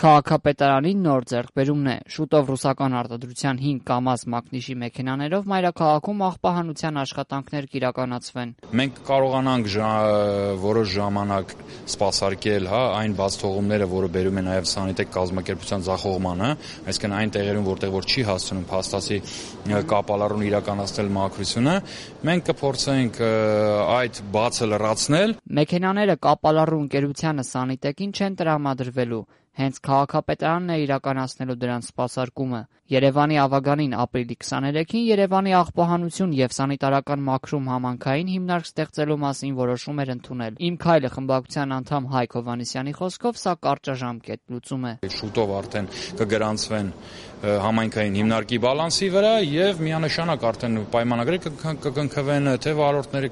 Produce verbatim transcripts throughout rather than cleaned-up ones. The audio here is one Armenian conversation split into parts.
Քաղաքապետարանի նոր ձեռքբերումն է։ Շուտով ռուսական արտադրության հինգ կամազ մակնիշի մեքենաներով մայրաքաղաքում աղբահանության աշխատանքներ կիրականացվեն։ Մենք կարողանանք որոշ ժամանակ սպասարկել այն բաց թողումները, որը բերում է նաև Սանիտեկ կազմակերպության ձախողմանը, այսինքն այն տեղերում, որտեղ որ չի հասցնում փաստացի կապալառուն իրականացնել մաքրությունը, մենք կփորձենք այդ բացը լրացնել։ Մեքենաները կապալառու ընկերությանը Սանիտեկին չեն տրամադրվելու։ Հենց քաղաքապետարանն է իրականացնելու դրանց սպասարկումը։ Երևանի ավագանին ապրիլի քսաներեքին Երևանի աղբահանություն եւ սանիտարական մաքրում համայնքային հիմնարկ ստեղծելու մասին որոշում էր ընդունել։ Իմ քայլը խմբակցության անդամ Հայկ Հովհաննիսյանի խոսքով սա կարճաժամկետ լուծում է։ Շուտով արդեն կգրանցվեն համայնքային հիմնարկի բալանսի վրա եւ միանշանակ արդեն պայմանագրեր կկնքվեն, թե վարորդները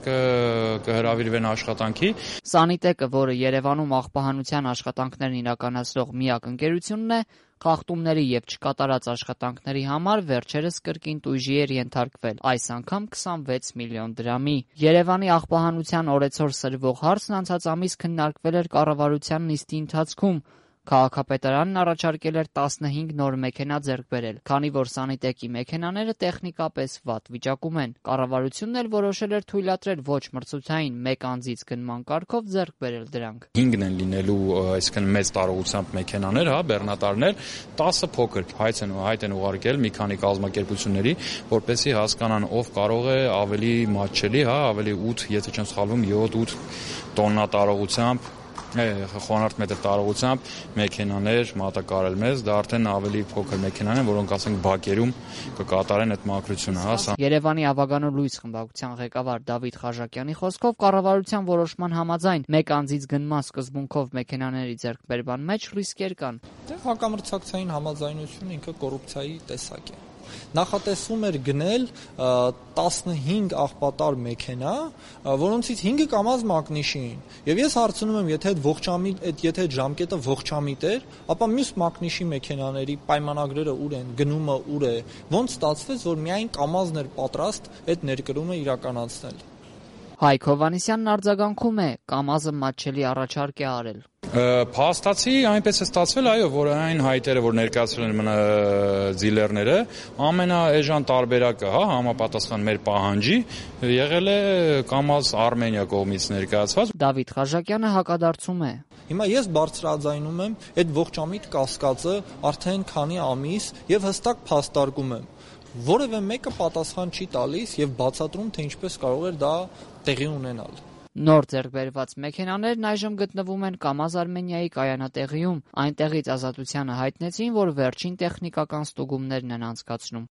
կհրավիրվեն աշխատանքի։ Սանիտեկը, որը Երևանում աղբահանության աշխատանքներն իրականացնող միակ ընկերությունն է, խախտումների եւ չկատարած աշխատանքների համար վերջերս կրկին տույժի էր ենթարկվել, այս անգամ քսանվեց միլիոն դրամի։ Երևանի աղբահանության օրեցօր սրվող հարցն անցած ամիս քննարկվել էր կառավարության նիստի ընթացքում։ Քաղաքապետարանն առաջարկել էր տասնհինգ նոր մեքենա ձեռք բերել, քանի որ Սանիտեկի մեքենաները տեխնիկապես վատ վիճակում են։ Կառավարությունն էլ որոշել էր թույլատրել ոչ մրցութային մեկ անձից գնման կարգով ձեռք բերել դրանք։ հինգն են լինելու, այսինքն մեծ տարողությամբ մեքենաներ, հա, բեռնատարներ, տասը փոքր։ Հայց են հայտ են ուղարկել մի քանի կազմակերպությունների, որպեսզի հասկանան ով կարող է ավելի մատչելի, հա, ավելի ութ, եթե չեմ սխալվում, յոթ-ութ տոննա տարողությամբ խոնարհ մետր տարողությամբ մեքենաներ մատակարարել մեզ, դա արդեն ավելի փոքր մեքենաներ են, որոնք ասենք բակերում կկատարեն այդ մաքրությունը, հա։ Երևանի ավագանու լույս խմբակցության ղեկավար Դավիթ Խաչակյանի խոսքով կառավարության որոշման համաձայն մեկ անձից գնման սկզբունքով մեքենաների ձեռքբերման մեջ ռիսկեր կան։ Դե հակամրցակցային համաձայնությունը ինքը կոռուպցիայի տեսակ է։ Նախատեսվում էր գնել տասնհինգ աղբատար մեքենա, որոնցից հինգը կամազ մակնիշին։ Եվ ես հարցնում եմ, եթե այդ ողջամիտ, եթե այդ ժամկետը ողջամիտ էր, ապա մյուս մակնիշի մեքենաների պայմանագրերը ուր են, գնումը ուր է, ոնց ստացվեց, որ միայն կամազն էր պատրաստ այդ ներկրումը իրականացնել։ Հայկ Հովհաննիսյանն արձագանքում է, կամազը մատչելի առաջարկ է արել։ Փաստացի այնպես է ստացվել, այո, որ այն հայտերը, որ ներկայացրել են դիլերները, ամենաէժան տարբերակը, հա, համապատասխան մեր պահանջի, եղել է կամազ Արմենիա կողմից ներկայացված։ Դավիթ Խաչակյանը հակադարձում է։ Հիմա ես բարձրաձայնում եմ այդ ողջամիտ կասկածը արդեն քանի ամիս եւ հստակ փաստարկում եմ։ Որևէ մեկը պատասխան չի տալիս եւ բացատրում, թե ինչպես կարող էր դա տեղի ունենալ։ Նոր ձեռքբերված մեքենաներն այժմ գտնվում են Կամազ Արմենիայի կայանատեղիում։ Այնտեղից Ազատությանը հայտնեցին, որ վերջին տեխնիկական ստուգումներն են անցկացնում։